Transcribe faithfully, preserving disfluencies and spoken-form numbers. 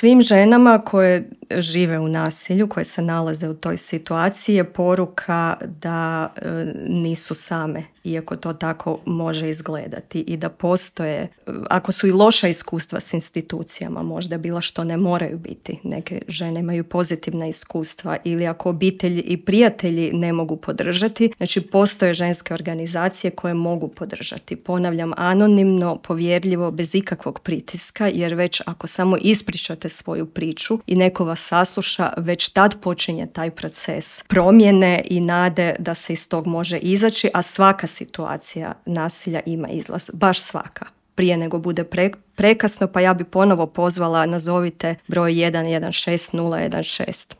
svim ženama koje žive u nasilju, koje se nalaze u toj situaciji je poruka da e, nisu same, iako to tako može izgledati i da postoje, ako su i loša iskustva s institucijama, možda bila što ne moraju biti. Neke žene imaju pozitivna iskustva ili ako obitelji i prijatelji ne mogu podržati, znači postoje ženske organizacije koje mogu podržati. Ponavljam, anonimno, povjerljivo, bez ikakvog pritiska, jer već ako samo ispričate svoju priču i neko vas sasluša, već tad počinje taj proces promjene i nade da se iz tog može izaći, a svaka situacija nasilja ima izlaz, baš svaka. Prije nego bude pre, prekasno, pa ja bi ponovo pozvala, nazovite broj jedan jedan šest nula jedan šest.